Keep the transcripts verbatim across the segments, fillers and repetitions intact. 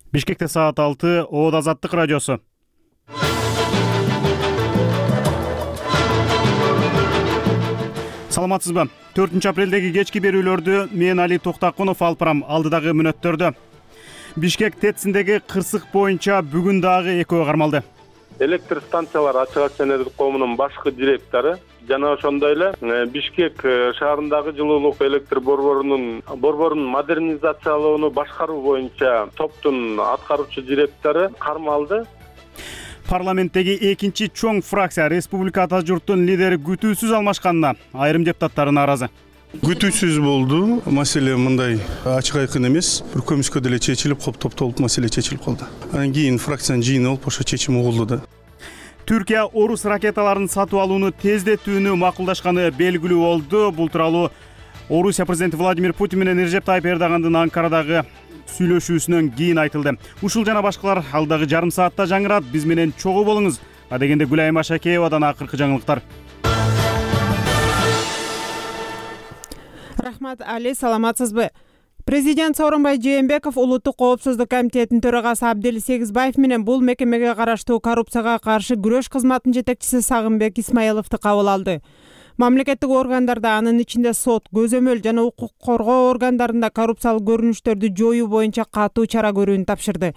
Бишкекте саат алты, Оод Азаттык радиосу. Саламатсызбы? төртүнчү апрелдеги кечки берүүлөрдү мен Али Токтакунов алып барам. Алдыдагы мүнөттөрдө Бишкек ТЭЦиндеги кырсык боюнча бүгүн дагы экөө кармалды. Электр станциялар ачык акционердик коомунун башкы директору жана ошондой эле Бишкек шаарындагы жылуулук электр борборунун борборун модернизациялоону башкаруу боюнча топтун аткаруучу директору кармалды. Парламенттеги экинчи чоң фракция Республика Ата журттун лидери күтүүсүз алмашканына айрым депутаттар нааразы. Күтүүсүз болду. Маселе мындай ачык айкын эмес. Бир көмүскө деле чечилип, коп топтолуп маселе чечилип калды. Анан кийин фракциянын жыйыны болуп ошо чечим угулду да. Түркия орус ракеталарын сатып алууну тездетүүнү макулдашканы белгилүү болду. Бул тууралуу Орусия президенти Владимир Путин менен Режеп Тайып Эрдогандын Анкарадагы сүйлөшүүсүнөн кийин айтылды. Ушул жана башкалар алдагы жарым саатта жаңырат. Биз менен чогуу болуңуз. Адегенде Гүлайым Ашакеевадан акыркы жаңылыктар. Рахмат, Али, саламатсызбы? Президент Сооронбай Жээнбеков Улуттук коопсуздук комитетинин төрагасы Абдел Сегизбаев менен бул мекемеге караштуу коррупцияга каршы күрөш кызматынын жетекчиси Сагынбек Исмаиловду кабыл алды. Мамлекеттик органдарда, анын ичинде сот, көзөмөл жана укук коргоо органдарында коррупциялык көрүнүштөрдү жоюу боюнча катуу чара көрүүнү тапшырды.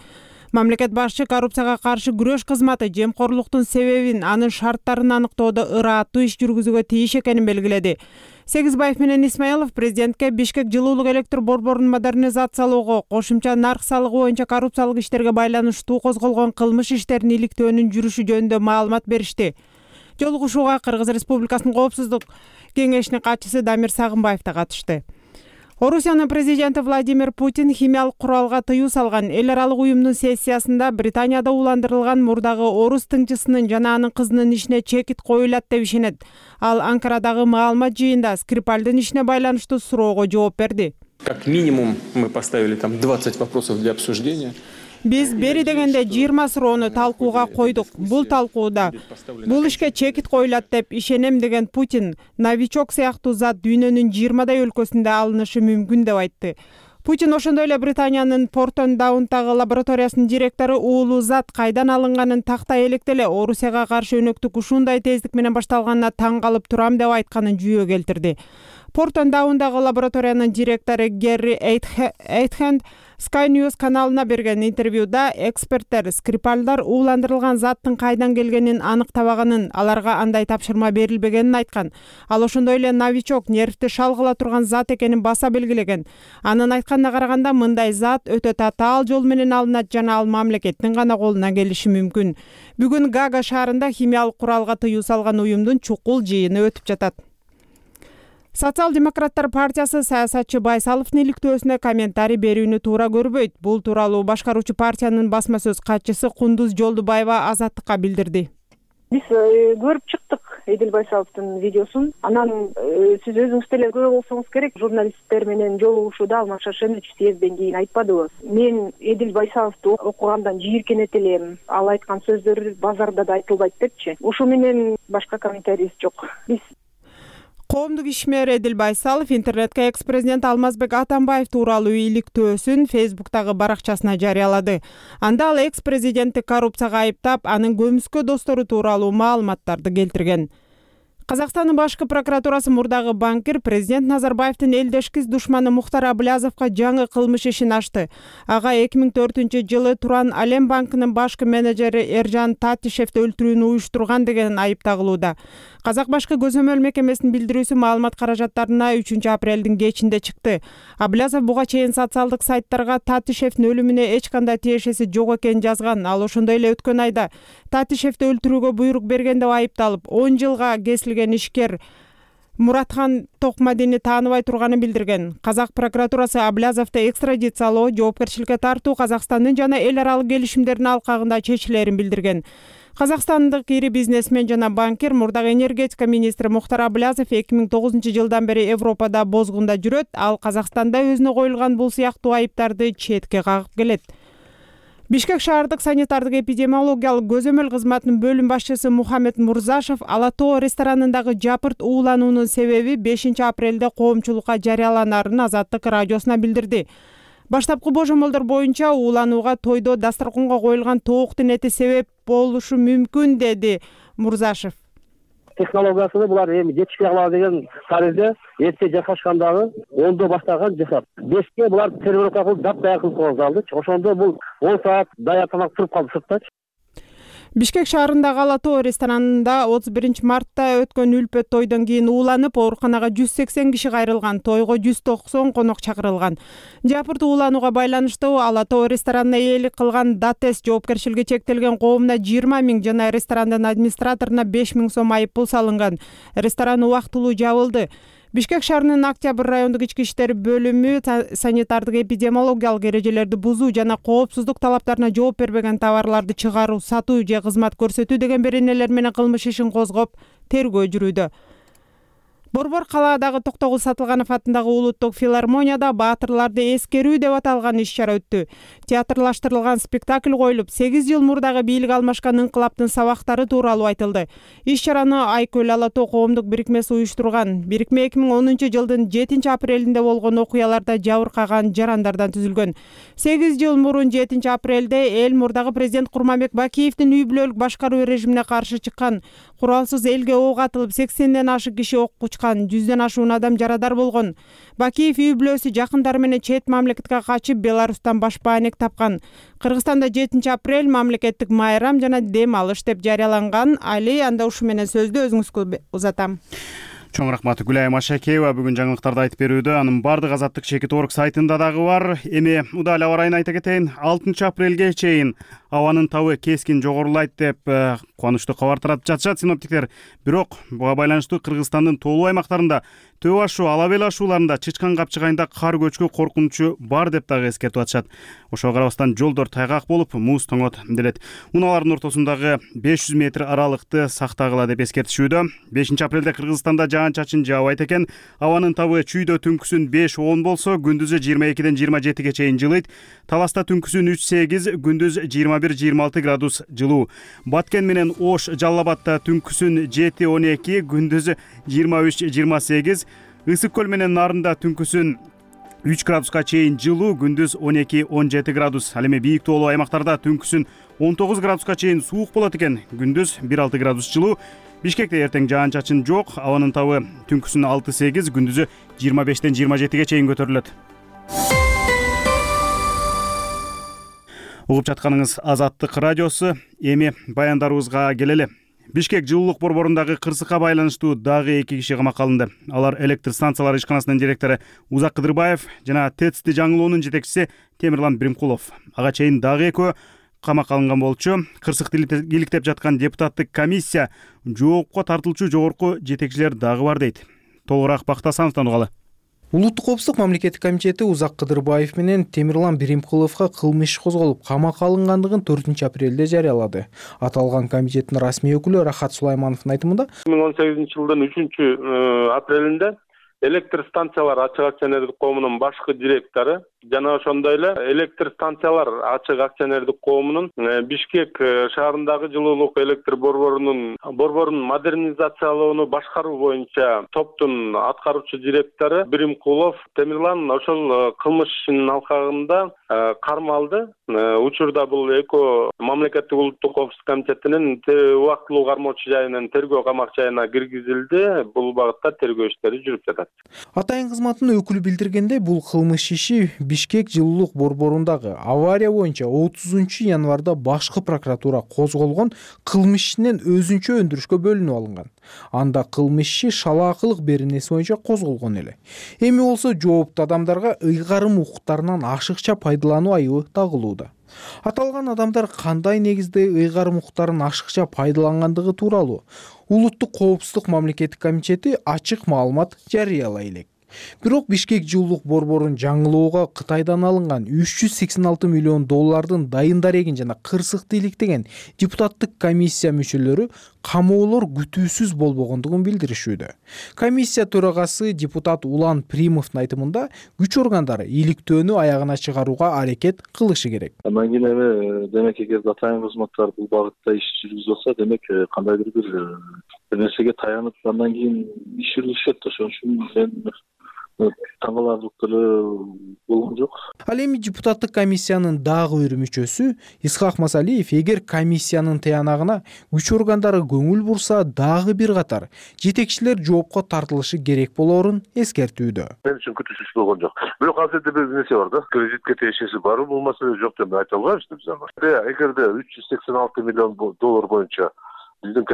Мамлекет башчы коррупцияга каршы күрөш кызматы жемкорлуктун себебин, анын шарттарын аныктоодо ырааттуу иш жүргүзүүгө тийиш экенин белгиледи. Сегизбаев менен Исмаилов президентке Бишкек жылуулук электр борборун модернизациялоого, кошумча нарк салыгы боюнча коррупциялык иштерге байланыштуу козголгон кылмыш иштерин иликтөөнүн жүрүшү жөнүндө маалымат беришти. Жолугушууга Кыргыз Республикасынын коопсуздук кеңешинин катчысы Дамир Сагынбаев да катышты. Орусиянын президенти Владимир Путин химиялык куралга тыюу салган эл аралык уюмдун сессиясында Британияда уландырылган мурдагы орус тыңчысынын жана анын кызынын ишине чекит коюлат деп ишенет. Ал Анкарадагы маалымат жыйында Скрипальдын ишине байланыштуу суроого жооп берди. Как минимум мы поставили там двадцать вопросов для обсуждения. Биз бери дегенде жыйырма суроону талкууга койдук. Бул талкууда бул ишке чекит коюлат деп ишенем деген Путин новичок сыяктуу зат дүйнөнүн жыйырмадай өлкөсүндө алынышы мүмкүн деп айтты. Путин ошондой эле Британиянын Портон-Даунтагы лабораториясынын директору уулуу зат кайдан алынганын тактай электе эле Орусияга каршы өнөктүк ушундай тездик менен башталганына таң калып турам деп айтканын жүйө келтирди. Портон-Даундагы лабораториянын директору Герри Эйтхенд Sky News каналына берген интервьюда эксперттер Скрипальдар ууландырылган заттын кайдан келгенин аныктабаганын, аларга андай тапшырма берилбегенин айткан. Ал ошондой эле новичок нервти шалгыла турган зат экенин баса белгилеген. Анын айтканына караганда мындай зат өтө татаал жол менен алынат жана ал мамлекеттин гана колуна келиши мүмкүн. Бүгүн Гага шаарында химиялык куралга тыюу салган уюмдун чукул жыйыны өтүп жатат. Социал-демократтар партиясы саясатчы Байсаловдун иликтөөсүнө комментарий берүүнү туура көрбөйт. Бул тууралуу башкаруучу партиянын басма сөз катчысы Кундуз Жолдубаева Азаттыкка билдирди. Биз көрүп чыктык Эдил Байсаловдун видеосун. Анан сиз өзүңүз деле көрө болсоңуз керек, журналисттер менен жолугушууда Алмаз Шаршенович съезден кийин айтпадыбы? Мен Эдил Байсаловду окугандан жийиркенет элем. Ал айткан сөздөр базарда да айтылбайт депчи. Ушу менен башка комментарийибиз жок. Биз Коомдук ишмер Эдил Байсалов интернетке экс-президент Алмазбек Атамбаев тууралуу иликтөөсүн Фейсбуктагы баракчасына жарыялады. Анда ал экс-президентти коррупцияга айыптап, анын көмүскө достору тууралуу маалыматтарды келтирген. Казакстандын башкы прокуратурасы мурдагы банкир президент Назарбаевдин элдешкис душманы Мухтар Аблязовго жаңы кылмыш ишин ачты. Ага эки миң төртүнчү жылы Туран Алем банкынын башкы менеджери Эржан Татишевди өлтүрүүнү уюштурган деген айып тагылууда. Казак башкы көзөмөл мекемесинин билдирүүсү маалымат каражаттарына үчүнчү апрелдин кечинде чыкты. Аблязов буга чейин социалдык сайттарга Татишевдин өлүмүнө эч кандай тиешеси жок экенин жазган. Ал ошондой эле өткөн айда Татишевди өлтүрүүгө буйрук берген деп айыпталып, он жылга кесилген ишкер Муратхан Токмадини тааныбай турганын билдирген. Казак прокуратурасы Аблязовду экстрадициялоо, жоопкерчиликке тартуу Казакстандын жана эл аралык келишимдердин алкагында чечилерин билдирген. Казакстандык ири бизнесмен жана банкир мурдагы энергетика министри Мухтар Аблязов эки миң тогузунчу жылдан бери Европада бозгунда жүрөт. Ал Казакстанда өзүнө коюлган бул сыяктуу айыптарды четке кагып келет. Бишкек шаардык санитардык эпидемиологиялык көзөмөл кызматынын бөлүм башчысы Мухаммед Мурзашев Ала Тоо ресторанындагы жапырт уулануунун себеби бешинчи апрелде коомчулукка жарыяланарын Азаттык радиосуна билдирди. Баштапкы божомолдор боюнча ууланууга тойдо дасторконго коюлган тооктун эти себеп болушу мүмкүн, деди Мурзашев. Технологиясыны булар эми жетишпей калат деген таризде эрте жасашкандагы ондо баштаган жасап. Бешке булар тренировка кылып дап-даяр кылып койгон залды. Ошондо бул он саат даяр тамак туруп калды сыртта. Бишкек шаарындагы Ала Тоо ресторанында отуз биринчи мартта өткөн үлпөт тойдон кийин ууланып, ооруканага жүз сексен киши кайрылган. Тойго жүз токсон конок чакырылган. Жапырт ууланууга байланыштуу Ала Тоо ресторанына ээлик кылган Датес жоопкерчилиги чектелген коомуна жыйырма миң жана ресторандын администраторуна беш миң сом айып пул салынган. Ресторан убактылуу жабылды. Бишкек шаарынын Октябрь райондук ички иштер бөлүмү санитардык эпидемиологиялык эрежелерди бузуу жана коопсуздук талаптарына жооп бербеген товарларды чыгаруу, сатуу же кызмат көрсөтүү деген беренелер менен кылмыш ишин козгоп тергөө жүрүүдө. Борбор калаадагы Токтогул Сатылганов атындагы улуттук филармонияда баатырларды эскерүү деп аталган иш-чара өттү. Театрлаштырылган спектакль коюлуп, сегиз жыл мурдагы бийлик алмашкан инкылаптын сабактары тууралуу айтылды. Иш-чараны Айкөл Ала Тоо коомдук бирикмеси уюштурган. Бирикме эки миң онунчу жылдын жетинчи апрелинде болгон окуяларда жабыркаган жарандардан түзүлгөн. сегиз жыл мурун жетинчи апрелде эл мурдагы президент Курманбек Бакиевдин үй бүлөлүк башкаруу режимине каршы чыккан. Куралсыз элге ок атылып, сексенден ашык киши окко жүздөн ашуун адам жарадар болгон. Бакиев үй бүлөсү жакындары менен чет мамлекетке качып, Беларустан башпаанек тапкан. Кыргызстанда жетинчи апрель мамлекеттик майрам жана дем алыш деп жарыяланган. Али анда ушу менен сөздү өзүңүзгө узатам. Чоң рахмат Гүлайым Ашакеева бүгүн жаңылыктарды айтып берүүдө. Анын бардык Азаттык чекит орг сайтында дагы бар. Эми удал аба ырайын айта кетейин. алтынчы апрелге чейин абанын табы кескин жогорулайт деп кубанычтуу кабар таратып жатышат синоптиктер. Бирок буга байланыштуу Кыргызстандын тоолуу аймактарында, Төө ашуу, Ала Бел ашууларында чычкан капчыгайында кар көчкү коркунучу бар деп дагы эскертип атышат. Ошого карабастан жолдор тайгак болуп, муз тоңот делет. Унаалардын ортосундагы беш жүз метр аралыкты сактагыла деп эскертишүүдө. бешинчи апрелде Кыргызстанда жаан-чачын жаабайт экен. Абанын табы чүйдө түнкүсүн беш он болсо, күндүзү жыйырма экиден жыйырма жетиге чейин жылыйт. Таласта түнкүсүн үч сегиз, күндүз жыйырма бир жыйырма алты градус жылуу. Баткен менен Ош, Жалал Абадта түнкүсүн жети он эки, күндүз жыйырма үч жыйырма сегиз. Ысык көл менен Нарында түнкүсүн үч градуска чейин жылуу, күндүз он эки он жети градус. Ал эми бийик тоолуу аймактарда түнкүсүн он тогуз градуска чейин суук болот экен, күндүз бир алты градус жылуу. Бишкекте эртең жаан-чачын жок, абанын табы түнкүсүн алты сегиз, күндүзү жыйырма бештен жыйырма жетиге чейин көтөрүлөт. Угуп жатканыңыз Азаттык радиосу. Эми баяндарыбызга келели. Бишкек жылуулук борборундагы кырсыкка байланыштуу дагы эки киши камакка алынды. Алар электр станциялары ишканасынын директору Узак Кыдырбаев жана ТЭЦти жаңылоонун жетекчиси Темирлан Биримкулов. Ага чейин дагы экөө камакка алынган болчу. Кырсыкты иликтеп жаткан депутаттык комиссия жоопко тартылчу жогорку жетекчилер дагы бар дейт. Толугураак Бактасановдон угалы. Улуттук коопсуздук мамлекеттик комитети Узак Кыдырбаев менен Темирлан Биримкуловго кылмыш иш козголуп, камакка алынгандыгын төртүнчү апрелде жарыялады. Аталган комитеттин расмий өкүлү Рахат Сулаймановдун айтымында, эки миң он сегизинчи жылдын үчүнчү апрелинде электр станциялар ачык акционердик коомунун башкы директору жана ошондой эле электр станциялар ачык акционердик коомунун Бишкек шаарындагы жылуулук электр борборунун борборун модернизациялоону башкаруу боюнча топтун аткаруучу директору Биримкулов Темирлан ошол кылмыш ишинин алкагында кармалды. Учурда бул экөө мамлекеттик улуттук коопсуздук комитетинин убактылуу кармоочу жайынан тергөө камак жайына киргизилди. Бул багытта тергөө иштери жүрүп жатат. Атайын кызматтын өкүлү билдиргендей, бул кылмыш иши Бишкек жылуулук борборундагы авария боюнча отузунчу январда башкы прокуратура козголгон кылмыш ишинен өзүнчө өндүрүшкө бөлүнүп алынган. Анда кылмыш иши шалаакылык беренеси боюнча козголгон эле. Эми болсо жооптуу адамдарга ыйгарым укуктарынан ашыкча пайдалануу айыбы тагылууда. Аталган адамдар кандай негизде ыйгарым укуктарын ашыкча пайдалангандыгы тууралуу Улуттук коопсуздук мамлекеттик комитети ачык маалымат жарыялай элек. Бирок Бишкек жылуулук борборун жаңылоого Кытайдан алынган үч жүз сексен алты миллион доллардын дайын дарегин жана кырсыкты иликтеген депутаттык комиссия мүчөлөрү камоолор күтүүсүз болбогондугун билдиришүүдө. Комиссия төрагасы депутат Улан Примовдун айтымында, күч органдары иликтөөнү аягына чыгарууга аракет кылышы керек. Андан кийин эми демек эгерде атайын кызматтар бул багытта иш жүргүзүп атса, демек кандайдыр бир нерсеге таянып андан кийин иш жүргүзүшөт. Ошон үчүн мен таң каларлык деле болгон жок. Ал эми депутаттык комиссиянын дагы бир мүчөсү Исхак Масалиев эгер комиссиянын тыянагына күч органдары көңүл бурса дагы бир катар жетекчилер жоопко тартылышы керек болоорун эскертүүдө. Мен үчүн күтүүсүз болгон жок. Бирок азыр бир нерсе бар да. Кредитке тиешеси барбы, бул маселе жок деп айта албайбыз биз аны. Эгерде үч жүз сексен алты миллион доллар боюнча биздин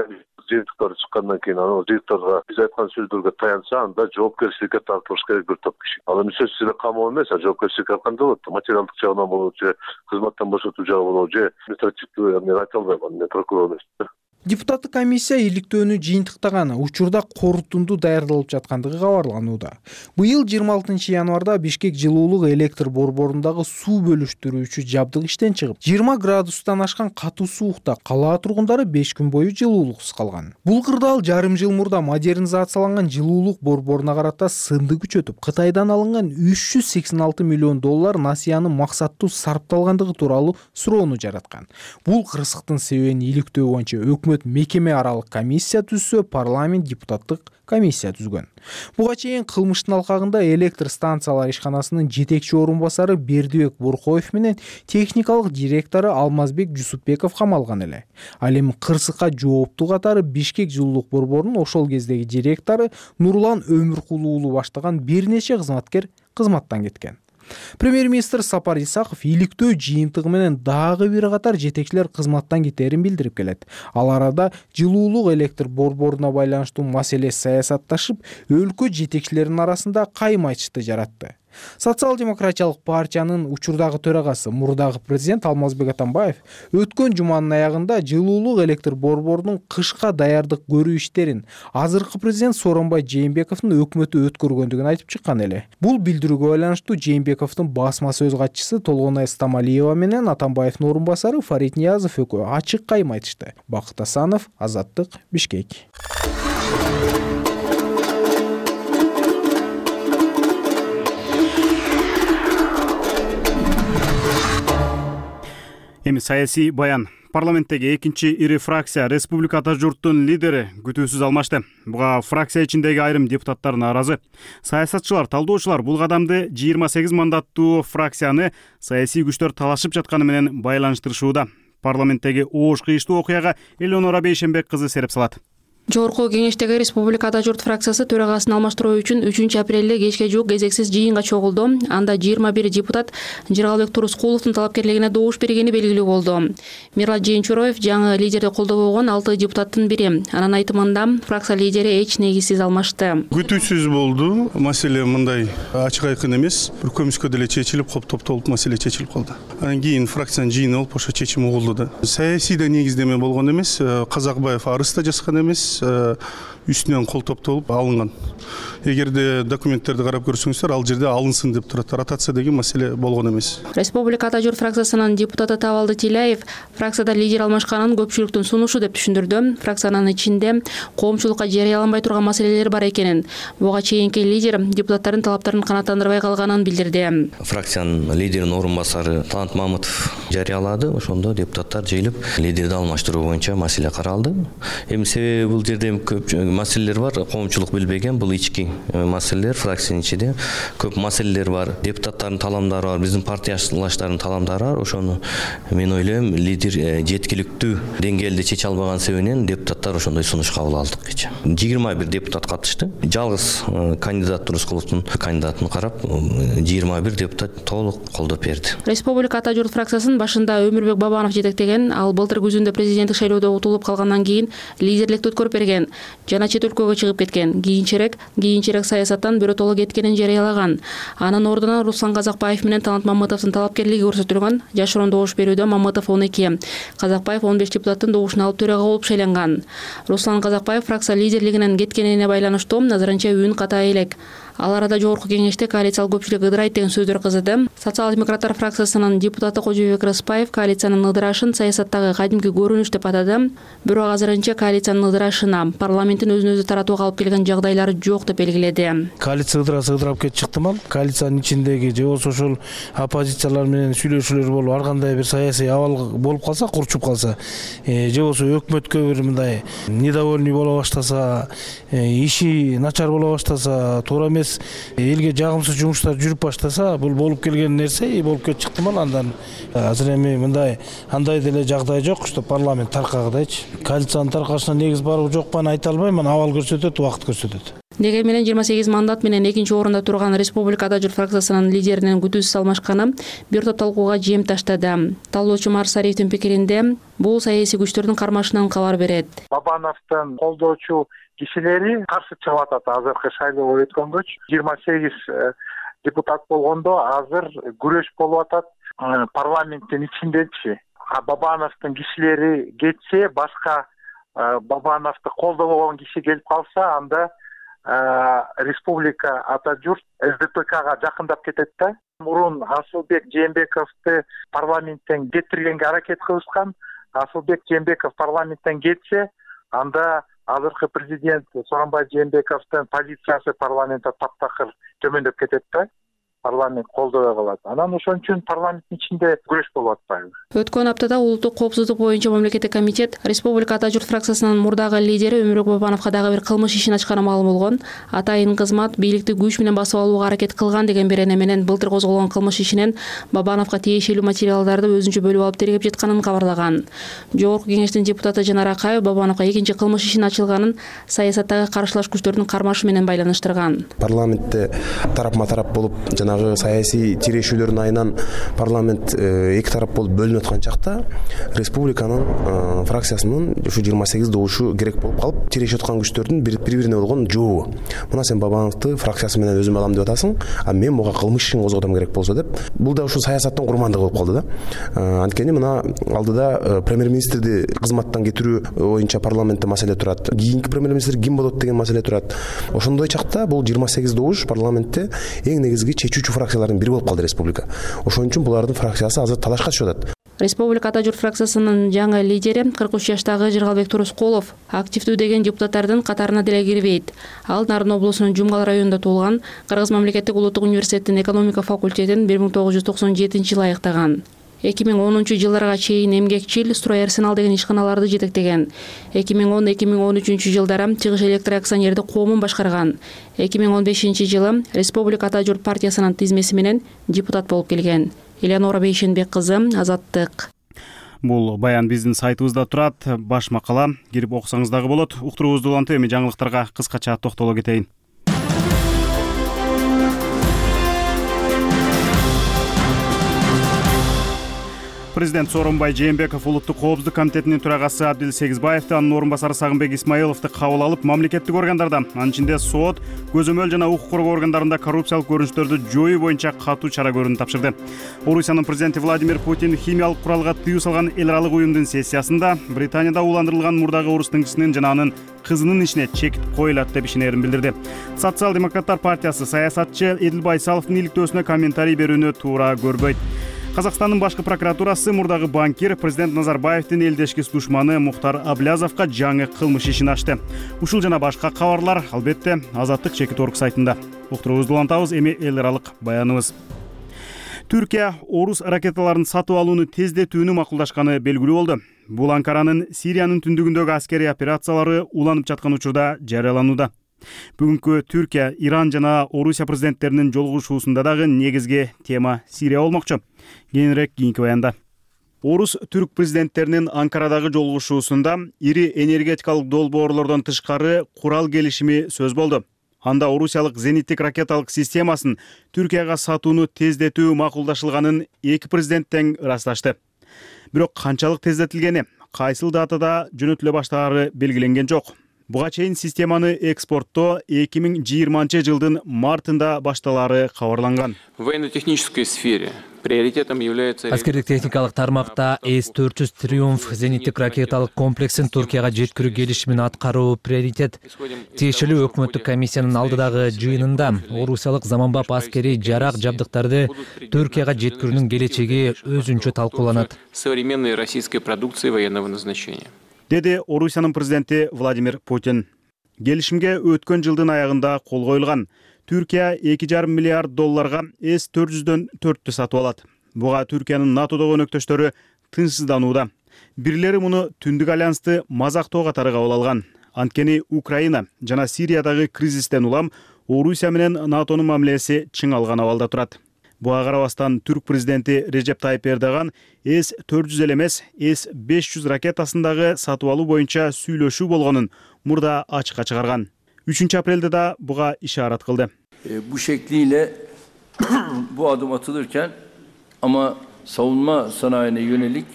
жыйынтыктар чыккандан кийин анын жыйынтыктарга биз айткан сөздөргө таянса, анда жоопкерчиликке тартылыш керек бир топ киши. Ал эми сөзсүз эле камоо эмес, а жоопкерчиликке алганда болот. Материалдык жагынан болобу же кызматтан бошотуу жагы болобу же административдүү, мен айта албайм, мен прокурор эмесмин. Депутаттык комиссия иликтөөнү жыйынтыктаган учурда корутунду даярдалып жаткандыгы кабарланууда. Быйыл жыйырма алтынчы январда Бишкек жылуулук электр борборундагы суу бөлүштүрүүчү жабдык иштен чыгып, жыйырма градустан ашкан катуу суукта кала тургундары беш күн бою жылуулуксуз калган. Бул кырдаал жарым жыл мурда модернизацияланган жылуулук борборуна карата сынды күчөтүп, Кытайдан алынган үч жүз сексен алты миллион доллар насыянын максаттуу сарпталгандыгы тууралуу суроону жараткан. Бул кырсыктын себебин иликтөө боюнча өкмөт мекеме аралык комиссия түзсө, парламент депутаттык комиссия түзгөн. Буга чейин кылмыштын алкагында электр станциялар ишканасынын жетекчи орун басары Бердибек Буркоев менен техникалык директору Алмазбек Жусупбеков камалган эле. Ал эми кырсыкка жооптуу катары Бишкек жылуулук борборунун ошол кездеги директору Нурлан Өмүркул уулу баштаган бир нече кызматкер кызматтан кеткен. Премьер-министр Сапар Исаков иликтөө жыйынтыгы менен дагы бир катар жетекчилер кызматтан кетерин билдирип келет. Ал арада жылуулук электр борборуна байланыштуу маселе саясатташып, өлкө жетекчилеринин арасында кайма айтышты жаратты. Социал-демократиялык партиянын учурдагы төрагасы, мурдагы президент Алмазбек Атамбаев өткөн жуманын аягында жылуулук электр борборунун кышка даярдык көрүү иштерин азыркы президент Сооронбай Жээнбековдун өкмөтү өткөргөндүгүн айтып чыккан эле. Бул билдирүүгө байланыштуу Жээнбековдун басма сөз катчысы Толгонай Стамалиева менен Атамбаевдин орун басары Фарид Ниязов экөө ачык кайма айтышты. Бакыт Асанов, Азаттык, Бишкек. Эми саясий баян. Парламенттеги экинчи ири фракция Республика Ата журттун лидери күтүүсүз алмашты. Буга фракция ичиндеги айрым депутаттар нааразы. Саясатчылар, талдоочулар бул кадамды жыйырма сегиз мандаттуу фракцияны саясий күчтөр талашып жатканы менен байланыштырышууда. Парламенттеги оош кыйыштуу окуяга Элеонора Бейшенбек кызы сереп салат. Жогорку кеңештеги Республика Ата журт фракциясы төрагасын алмаштыруу үчүн үчүнчү апрелде кечке жуук кезексиз жыйынга чогулду. Анда жыйырма бир депутат Жыргалбек Турускуловдун талапкерлигине добуш бергени белгилүү болду. Мират Жээнчуроев жаңы лидерди колдобогон алты депутаттын бири. Анын айтымында фракция лидери эч негизсиз алмашты. Күтүүсүз болду. Маселе мындай ачык айкын эмес. Бир көмүскө деле чечилип, топтолуп маселе чечилип калды. Анан кийин фракциянын жыйыны болуп ошо чечим угулду да. Саясийда негиздеме болгон эмес, Казакбаев арыз да жазган эмес. Үстүнөн кол топтолуп алынган. Эгерде документтерди карап көрсөңүздөр, ал жерде алынсын деп турат. Ротация деген маселе болгон эмес. Республика Ата журт фракциясынын депутаты Табалды Тилаев фракцияда лидер алмашканын көпчүлүктүн сунушу деп түшүндүрдү. Фракциянын ичинде коомчулукка жарыяланбай турган маселелер бар экенин, буга чейинки лидер депутаттардын талаптарын канааттандырбай калганын билдирди. Фракциянын лидеринин орун басары Талант Мамытов жарыялады. Ошондо депутаттар жыйылып, лидерди алмаштыруу боюнча маселе каралды. Эми себеби бул жерде көп маселелер бар, коомчулук билбеген, бул ички маселелер, фракциянын ичинде көп маселелер бар, депутаттардын таламдары бар, биздин партиялаштардын таламдары бар. Ошону мен ойлойм, лидер жеткиликтүү деңгээлде чече албаган себебинен депутаттар ошондой сунуш кабыл алдык кече. жыйырма бир депутат катышты. Жалгыз кандидат Турускуловдун кандидатын карап, жыйырма бир депутат толук колдоп берди. Республика Ата журт фракциясынын башында Өмүрбек Бабанов жетектеген, ал былтыр күзүндө президенттик шайлоодо утулуп калгандан кийин лидерликти өткөрүп берген жана чет өлкөгө чыгып кеткен. Кийинчерээк кийинчерээк саясаттан биротоло кеткенин жарыялаган. Анын ордуна Руслан Казакбаев менен Талант Мамытовдун талапкерлиги көрсөтүлгөн. Жашыруун добуш берүүдө Мамытов он эки, Казакбаев он беш депутаттын добушун алып төрага болуп шайланган. Руслан Казакбаев фракция лидерлигинен кеткенине байланыштуу назарынча үн ката элек. Ал арада жогорку кеңеште коалициялык көпчүлүк ыдырайт деген сөздөр кызды. Социал-демократтар фракциясынын депутаты Кожобек Рыспаев коалициянын ыдырашын саясаттагы кадимки көрүнүш деп атады. Бирок азырынча коалициянын ыдырашына парламенттин өзүн өзү таратууга алып келген жагдайлары жок деп белгиледи. Коалиция ыдырасы ыдырап кетип чыктымал. Коалициянын ичиндеги же болбосо ошол оппозициялар менен сүйлөшүүлөр болуп, ар кандай бир саясий абал болуп калса, курчуп калса, же болбосо өкмөткө бир мындай недовольный боло баштаса, иши начар боло баштаса, туура эмес эмес элге жагымсыз жумуштар жүрүп баштаса бул болуп келген нерсе и болуп кетип чыктымал. Андан азыр эми мындай андай деле жагдай жок, что парламент таркагыдайчы. Коалициянын таркашына негиз барбы жокпу аны айта албайм, абал көрсөтөт, убакыт көрсөтөт. Дегени менен жыйырма сегиз мандат менен экинчи орунда турган Республикада жүр фракциясынын лидеринин күтүүсүз алмашканы бир топ талкууга жем таштады. Талоочу Марсариевдин пикиринде бул саясий күчтөрдүн кармашынан кабар берет. Бабановдун колдоочу кишилери каршы чыгып атат азыркы шайлоо өткөнгөчү. жыйырма сегиз депутат болгондо азыр күрөш болуп атат парламенттин ичиндечи. Бабановдун кишилери кетсе, башка Бабановду колдобогон киши келип калса, анда Республика Ата журт СДПКга жакындап кетет да. Мурун Асылбек Жээнбековду парламенттен кетиргенге аракет кылышкан. Асылбек Жээнбеков парламенттен кетсе, анда азыркы президент Сооронбай Жээнбековдун позициясы парламентте таптакыр төмөндөп кетет да. Парламент колдобой калат. Анан ошон үчүн парламенттин ичинде күрөш болуп атпайбы? Өткөн аптада улуттук коопсуздук боюнча мамлекеттик комитет Республика Ата журт фракциясынын мурдагы лидери Өмүрбек Бабановго дагы бир кылмыш ишин ачканы маалым болгон. Атайын кызмат бийликти күч менен басып алууга аракет кылган деген берене менен былтыр козголгон кылмыш ишинен Бабановго тиешелүү материалдарды өзүнчө бөлүп алып тергеп жатканын кабарлаган. Жогорку кеңештин депутаты Жанар Акаев Бабановго экинчи кылмыш ишин ачылганын саясаттагы каршылаш күчтөрдүн кармашы менен байланыштырган. Парламентте тарапма тарап болуп жана саясий тирешүүлөрдүн айынан парламент эки тарап болуп бөлүнүп аткан чакта республиканын фракциясынын ушу жыйырма сегиз добушу керек болуп калып, тирешип аткан күчтөрдүн бири бирине болгон жообу. Мына сен Бабановду фракциясы менен өзүм алам деп атасың, а мен буга кылмыш ишин козготом керек болсо деп. Бул да ушу саясаттын курмандыгы болуп калды да. Анткени мына алдыда премьер-министрди кызматтан кетирүү боюнча парламентте маселе турат. Кийинки премьер-министр ким болот деген маселе турат. Ошондой чакта бул жыйырма сегиз добуш парламентте эң негизги чечүүчү фракциялардын бири болуп калды республика. Ошон үчүн булардын фракциясы азыр талашка түшүп атат. Республика Ата журт фракциясынын жаңы лидери кырк үч жаштагы Жыргалбек Турускулов активдүү деген депутаттардын катарына деле кирбейт. Ал Нарын облусунун Жумгал районунда туулган, Кыргыз мамлекеттик улуттук университетинин экономика факультетин бир миң тогуз жүз токсон жетинчи жылы аяктаган. эки миң онунчу жылдарга чейин эмгекчил Строй Арсенал деген ишканаларды жетектеген. эки миң он эки миң он үчүнчү жылдары Чыгыш электр акционердик коомун башкарган. эки миң он бешинчи жылы Республика Ата журт партиясынын тизмеси менен депутат болуп келген. Элеонора Бейшенбек кызы, Азаттык. Бул баян биздин сайтыбызда турат. Баш макала кирип окусаңыз дагы болот. Уктуруубузду улантып, эми жаңылыктарга кыскача токтоло кетейин. Президент Сооронбай Жээнбеков улуттук коопсуздук комитетинин төрагасы Абдил Сегизбаевди, анын орун басары Сагынбек Исмаиловду кабыл алып, мамлекеттик органдарда, анын ичинде сот, көзөмөл жана укук коргоо органдарында коррупциялык көрүнүштөрдү жоюу боюнча катуу чара көрүүнү тапшырды. Орусиянын президенти Владимир Путин химиялык куралга тыюу салган эл аралык уюмдун сессиясында Британияда ууландырылган мурдагы орус тыңчысынын жана анын кызынын ишине чек коюлат деп ишенерин билдирди. Социал-демократтар партиясы саясатчы Эдил Байсаловдун иликтөөсүнө комментарий берүүнү туура көрбөйт. Казакстандын башкы прокуратурасы мурдагы банкир президент Назарбаевдин элдешкис душманы Мухтар Аблязовго жаңы кылмыш ишин ачты. Ушул жана башка кабарлар албетте Азаттык чекит орг сайтында. Уктуруубузду улантабыз, эми эл аралык баяныбыз. Түркия орус ракеталарын сатып алууну тездетүүнү макулдашканы белгилүү болду. Бул Анкаранын Сириянын түндүгүндөгү аскерий операциялары уланып жаткан учурда жарыяланууда. Бүгүнкү Түркия, Иран жана Орусия президенттеринин жолугушуусунда дагы негизги тема Сирия болмокчу. Кийинирээк кийинки баянда. Орус түрк президенттеринин Анкарадагы жолугушуусунда ири энергетикалык долбоорлордон тышкары курал келишими сөз болду. Анда орусиялык зениттик ракеталык системасын Түркияга сатууну тездетүү макулдашылганын эки президент тең ырасташты. Бирок канчалык тездетилгени, кайсыл датада жөнөтүлө баштаары белгиленген жок. Буга чейин системаны экспорттоо эки миң жыйырманчы жылдын мартында башталаары кабарланган. В военно-технической сфере приоритетом является... Аскердик техникалык тармакта эс төрт жүз Триумф зениттик ракеталык комплексин Түркияга жеткирүү келишимин аткаруу приоритет. Тиешелүү өкмөттүк комиссиянын алдыдагы жыйынында орусиялык заманбап аскерий жарак жабдыктарды Түркияга жеткирүүнүн келечеги өзүнчө талкууланат. Современной российской продукции военного назначения. Деди Орусиянын президенти Владимир Путин. Келишимге өткөн жылдын аягында кол коюлган. Түркия эки жарым миллиард долларга эс төрт жүздөн төрттү сатып алат. Буга Түркиянын НАТОдогу өнөктөштөрү тынчсызданууда. Бирлери муну Түндүк альянсты мазактоо катары кабыл алган. Анткени Украина жана Сириядагы кризистен улам Орусия менен НАТОнун мамилеси чыңалган абалда турат. Буга карабастан түрк президенти Режеп Тайып Эрдоган эс төрт жүз эле эмес, эс беш жүз ракетасындагы сатып алуу боюнча сүйлөшүү болгонун мурда ачыкка чыгарган. үчүнчү апрелде да буга ишарат кылды. E, bu şekliyle bu adım atılırken ama savunma sanayine yönelik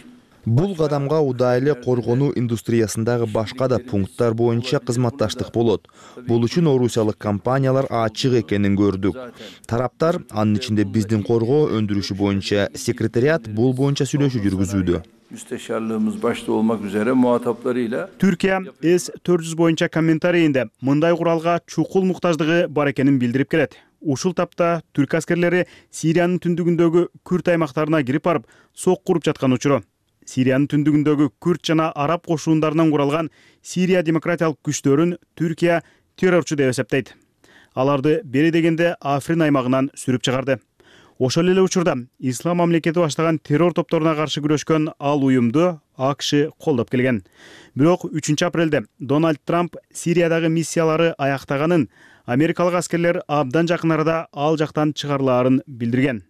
Бул кадамга удайлы коргонуу индустриясындагы башка да пункттар боюнча кызматташтык болот. Бул үчүн орусиялык компаниялар ачык экенин көрдүк. Тараптар, анын ичинде биздин коргоо өндүрүшү боюнча секретариат бул боюнча сүйлөшүү жүргүзүүдө. Müsteşarlığımız başta olmak üzere muhataplarıyla Türkiye эс төрт жүз боюнча комментарийинде мындай куралга чукул муктаждыгы бар экенин билдирип келет. Ушул тапта түрк аскерлери Сириянын түндүгүндөгү Күрд аймактарына кирип барып, сок куруп жаткан учуру. Сириянын түндүгүндөгү Күрд жана араб кошундарынан куралган Сирия демократиялык күчтөрүн Түркия террорчу деп эсептейт. Аларды бери дегенде Африн аймагынан сүрүп чыгарды. Ошол эле учурда Ислам мамлекети баштаган террор топторуна каршы күрөшкөн ал уюмду АКШ колдоп келген. Бирок үчүнчү апрелде Дональд Трамп Сириядагы миссиялары аяктаганын, америкалык аскерлер абдан жакын арада ал жактан чыгарылаарын билдирген.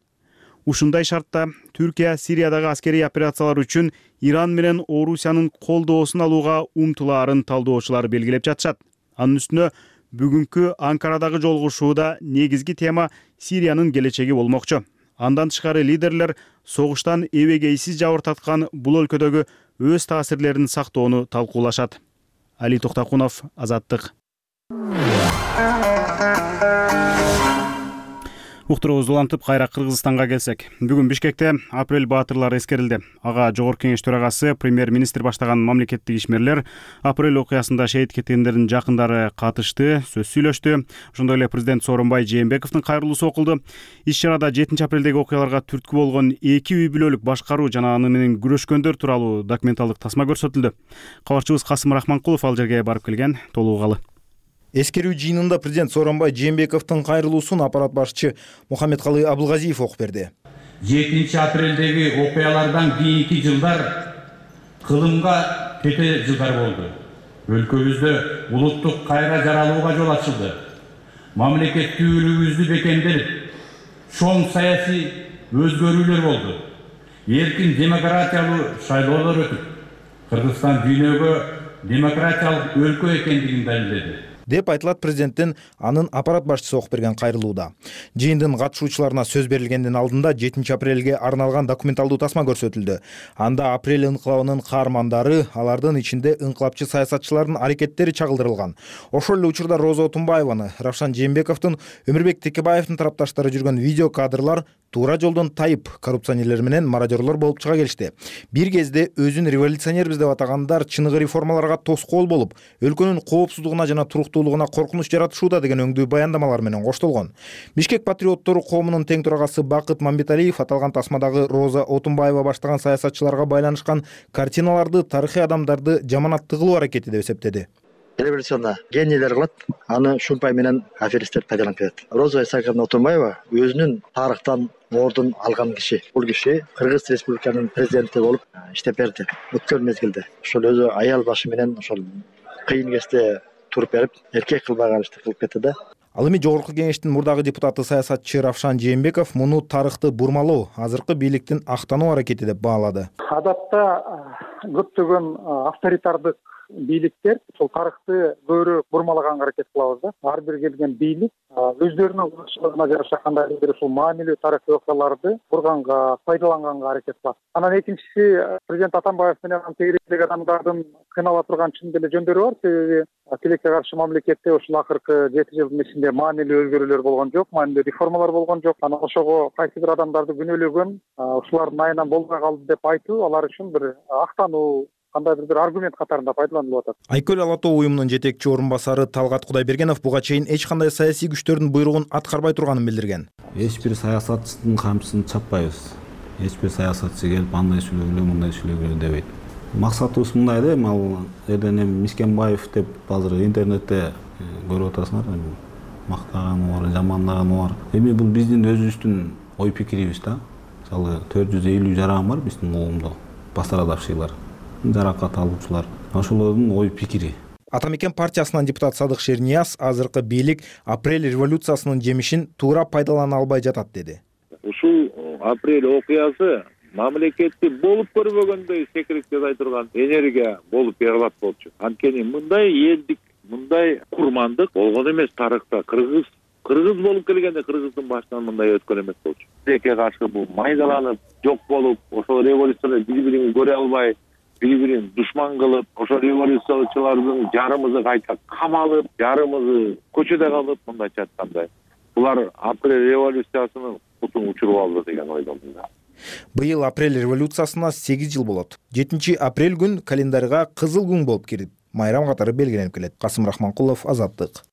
Ушундай шартта Түркия Сириядагы аскерий операциялар үчүн Иран менен Орусиянын колдоосун алууга умтулаарын талдоочулар белгилеп жатышат. Анын үстүнө бүгүнкү Анкарадагы жолугушууда негизги тема Сириянын келечеги болмокчу. Андан тышкары лидерлер согуштан эбегейсиз жабыр тарткан бул өлкөдөгү өз таасирлерин сактоону талкуулашат. Али Токтакунов, Азаттык. Уктуруубузду улантып кайра Кыргызстанга келсек, бүгүн Бишкекте апрель баатырлары эскерилди. Ага Жогорку Кеңеш төрагасы, премьер-министр баштаган мамлекеттик ишмерлер апрель окуясында шейит кеткендердин жакындары катышты, сөз сүйлөштү. Ошондой эле президент Сооронбай Жээнбековдун кайрылуусу окулду. Иш-чарада жетинчи апрелдеги окуяларга түрткү болгон эки үй бүлөлүк башкаруу жана аны менен күрөшкөндөр тууралуу документалдык тасма көрсөтүлдү. Кабарчыбыз Касым Рахманкулов ал жерге барып келген, толугу. Эскерүү жыйынында президент Сооронбай Жээнбековдун кайрылуусун аппарат башчы Мухаммедкалый Абылгазиев окуп берди. жетинчи апрелдеги окуялардан кийинки жылдар кылымга кете жылдар болду. Өлкөбүздө улуттук кайра жаралууга жол ачылды. Мамлекеттүүлүгүбүздү бекемдеп, чоң саясий өзгөрүүлөр болду. Эркин демократиялуу шайлоолор өтүп, Кыргызстан дүйнөгө демократиялык өлкө экендигин далилдеди деп айтылат президенттин анын аппарат башчысы окуп берген кайрылууда. Жыйындын катышуучуларына сөз берилгендин алдында жетинчи апрелге арналган документалдуу тасма көрсөтүлдү. Анда апрель инкылабынын каармандары, алардын ичинде инкылапчы саясатчылардын аракеттери чагылдырылган. Ошол эле учурда Роза Отунбаеваны, Равшан Жээнбековдун, Өмүрбек Текебаевдин тарапташтары жүргөн видео кадрлар туура жолдон тайып, коррупционерлер менен мародёрлор болуп чыга келишти. Бир кезде өзүн революционербиз деп атагандар чыныгы реформаларга тоскоол болуп, өлкөнүн коопсуздугуна жана туруктуулугуна коркунуч жаратышууда деген өңдүү баяндамалар менен коштолгон. Бишкек патриоттору коомунун тең төрагасы Бакыт Мамбеталиев аталган тасмадагы Роза Отунбаева баштаган саясатчыларга байланышкан картиналарды, тарыхый адамдарды жаманатты кылуу аракети деп эсептеди. Революционда генийлер кылат, аны шумпай менен аферисттер пайдаланып кетет. Роза Исаковна Отунбаева өзүнүн тарыхтан ордун алган киши. Бул киши Кыргыз Республиканын президенти болуп иштеп берди өткөн мезгилде. Ошол өзү аял башы менен ошол кыйын кезде туруп берип, эркек кылбаган ишти кылып кетти да. Ал эми Жогорку Кеңештин мурдагы депутаты саясатчы Равшан Жээнбеков муну тарыхты бурмалоо, азыркы бийликтин актануу аракети деп баалады. Адатта көптөгөн авторитардык бийликтер ошол тарыхты көбүрөөк бурмалаганга аракет кылабыз да. Ар бир келген бийлик өздөрүнүн кылычына жараша кандайдыр ушул маанилүү тарыхый окуяларды бурганга, пайдаланганга аракет кылат. Анан экинчиси, президент Атамбаев менен тегеректеги адамдардын кыйнала турган чын деле жөндөрү бар. Себеби тилекке каршы мамлекетте ушул акыркы жети жылдын ичинде маанилүү өзгөрүүлөр болгон жок, маанилүү реформалар болгон жок. Анан ошого кайсы бир адамдарды күнөөлөгөн, ушулардын айынан болбой калды деп айтуу алар үчүн бир актануу, кандайдыр бир аргумент катарында пайдаланылып атат. Айкөл Ала Тоо уюмунун жетекчи орун басары Талгат Кудайбергенов буга чейин эч кандай саясий күчтөрдүн буйругун аткарбай турганын билдирген. Эч бир саясатчынын камчысын чаппайбыз. Эч бир саясатчы келип андай сүйлөгүлө, мындай сүйлөгүлө дебейт. Максатыбыз мындай да, ал элден эми Мискенбаев деп азыр интернетте көрүп атасыңар, мактаганы бар, жамандаганы бар. Эми бул биздин өзүбүздүн ой пикирибиз да. Мисалы төрт жүз элүү жаран бар биздин коомдо, пострадавшийлар, жаракат алуучулар. Ошолордун ой пикири. Ата мекен партиясынан депутат Садык Шернияз азыркы бийлик апрель революциясынын жемишин туура пайдалана албай жатат деди. Ушул апрель окуясы мамлекетти болуп көрбөгөндөй секиректеп турган энергия болуп берилат болчу. Анткени мындай элдик, мындай курмандык болгон эмес тарыхта. Кыргыз кыргыз болуп келгенде кыргыздын башынан мындай өткөн эмес болчу. Тилекке каршы бул майдаланып, жок болуп, ошол революцияны бири-бирин көрө албай, бири-бирин душман кылып, ошол революциячылардын жарымызы кайта камалып, жарымызы көчөдө калып, мындайча айтканда, булар апрель революциясынын кутун учуруп алды деген ойдомун да. Быйыл апрель революциясына сегиз жыл болот. жетинчи апрель күн календарга кызыл күн болуп кирип, майрам катары белгиленип келет. Касым Рахманкулов, Азаттык.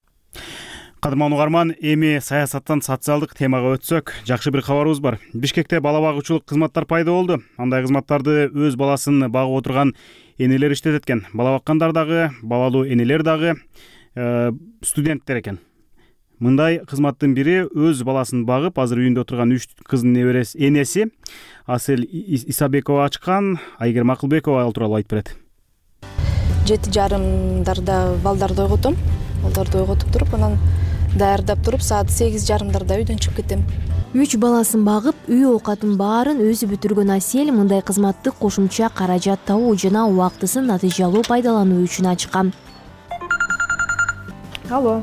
Кадырман угарман, эми саясаттан социалдык темага өтсөк, жакшы бир кабарыбыз бар. Бишкекте бала багуучулук кызматтар пайда болду. Андай кызматтарды өз баласын багып отурган энелер иштетет экен. Бала баккандар дагы, балалуу энелер дагы э, студенттер экен. Мындай кызматтын бири өз баласын багып, азыр үйүндө отурган үч кыздын неберesi энеси Асель Исабекова ачкан. Айгерим Акылбекова ал тууралуу айтып берет. Жети жарымдарда балдарды ойготом. Балдарды ойготуп туруп, анан даярдап туруп, саат сегиз жарымдарда үйдөн чыгып кетем. Үч баласын багып, үй оокатын баарын өзү бүтүргөн Асель мындай кызматты кошумча каражат табуу жана убактысын натыйжалуу пайдалануу үчүн ачкан. Алло,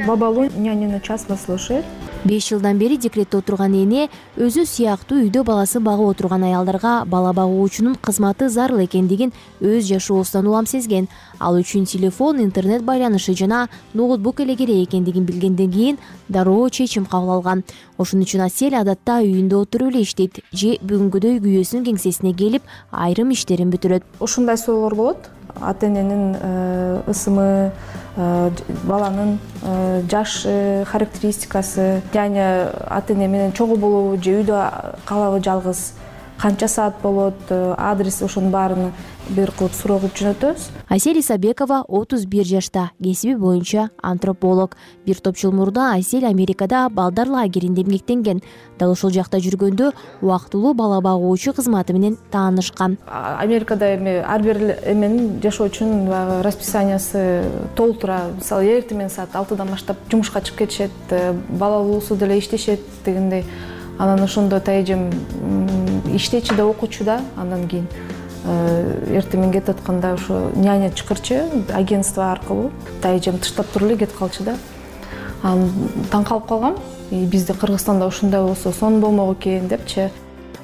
бабалуу нянины час вас слушает. беш жылдан бери декретте отурган эне өзү сыяктуу үйдө баласын багып отурган аялдарга бала багуучунун кызматы зарыл экендигин өз жашоосунан улам сезген. Ал үчүн телефон, интернет байланышы жана ноутбук эле керек экендигин билгенден кийин дароо чечим кабыл алган. Ошон үчүн Асель адатта үйүндө отуруп эле иштейт же бүгүнкүдөй күйөөсүнүн кеңсесине келип айрым иштерин бүтүрөт. Ушундай суроолор болот. Ата эненин ысымы, баланын жаш характеристикасы, және ата эне менен чогуу болобу же үйдө калабы жалгыз, канча саат болот, адрес, ошонун баарын бир кылып суроо кылып жөнөтөбүз. Асель Исабекова отуз бир жашта, кесиби боюнча антрополог. Бир топ жыл мурда Асель Америкада балдар лагеринде эмгектенген. Дал ошол жакта жүргөндө убактылуу бала багуучу кызматы менен таанышкан. Америкада эми ар бир эменин жашоочунун баягы расписаниясы толтура. Мисалы, эртең менен саат алтыдан баштап жумушка чыгып кетишет, балалуусу деле иштешет дегендей. Анан ошондо тайжем иштечи да, окуучу да, андан кийин эртең менен кетип атканда ошо няня чакырчу агентство аркылуу тайжем тыштап туруп эле кетип калчу да. Анан таң калып калгам. Бизде Кыргызстанда ушундай болсо сонун болмок экен депчи.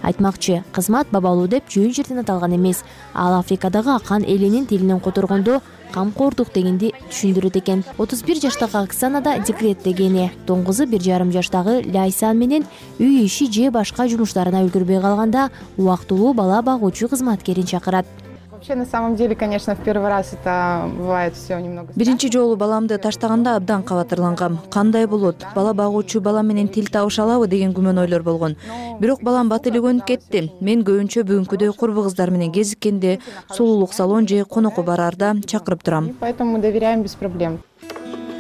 Айтмакчы, кызмат бабалуу деп жөн жерден аталган эмес. Ал Африкадагы акан элинин тилинен которгондо камкордук дегенди түшүндүрөт экен. отуз бир жаштагы Оксана да декреттеги эне. Тоңгузу бир жарым жаштагы Ляйсан менен үй иши же башка жумуштарына үлгүрбөй калганда убактылуу бала багуучу кызматкерин чакырат. Вообще, на самом деле, конечно, в первый раз это бывает все немного. Биринчи жолу баламды таштаганда абдан кабатырлангам. Кандай болот? Бала багуучу бала менен тил табыша алабы деген күмөн ойлор болгон. Бирок балам бат эле көнүп кетти. Мен көбүнчө бүгүнкүдөй курбу кыздар менен кезиккенде, сулуулук салон же конокко барарда чакырып турам. Поэтому мы доверяем без проблем.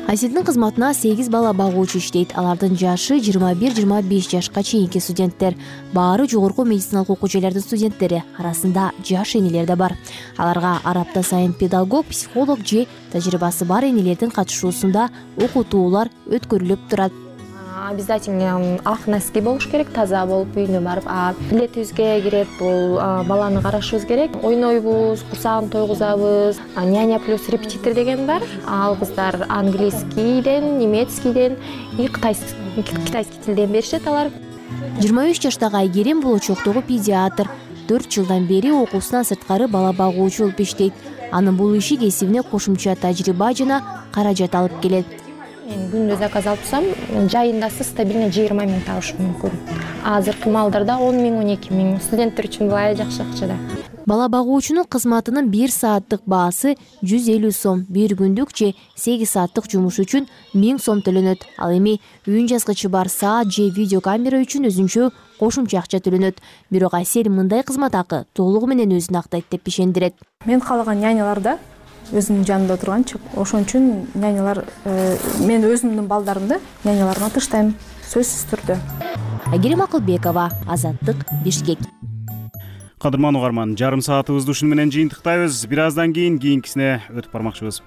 Аселдин кызматына сегиз бала багуучу иштейт. Алардын жашы жыйырма бир жыйырма беш жашка чейинки студенттер. Баары жогорку медициналык окуу жайлардын студенттери, арасында жаш энелер да бар. Аларга ар апта сайын педагог, психолог же тажрыйбасы бар энелердин катышуусунда окутуулар өткөрүлүп турат. Обязательно ак носки болуш керек, таза болуп үйүнө барып, билетибизге кирет, бул баланы карашыбыз керек. Ойнойбуз, курсагын тойгузабыз. Няня плюс репетитор деген бар. Ал кыздар английскийден, немецкийден, и кытайский кытайский тилден беришет алар. жыйырма үч жаштагы Айгерим болочоктогу педиатр. төрт жылдан бери окуусунан сырткары бала багуучу болуп иштейт. Анын бул иши кесибине кошумча тажрыйба жана каражат алып келет. Мен күндө заказ алып турсам, жайындасы стабильно жыйырма миң табышым мүмкүн. Азыркы малдарда он миң, он эки миң. Студенттер үчүн бай жакшы акча да. Бала багуучунун кызматынын бир сааттык баасы жүз элүү сом, бир күндүк же сегиз сааттык жумуш үчүн миң сом төлөнөт. Ал эми үн жазгычы бар саат же видеокамера үчүн өзүнчө кошумча акча төлөнөт. Бирок Асель мындай кызмат акы толугу менен өзүн актайт деп ишендирет. Мен каалаган няняларда өзүмдүн жанымда отурганчы, ошон үчүн нянялар, мен өзүмдүн балдарымды няняларга тыштайм, сөзсүз түрдө. Айгерим Акылбекова, Азаттык, Бишкек. Кадырман угарман, жарым саатыбызды ушуну менен жыйынтыктайбыз. Бир аздан кийин кийинкисине өтүп бармакчыбыз.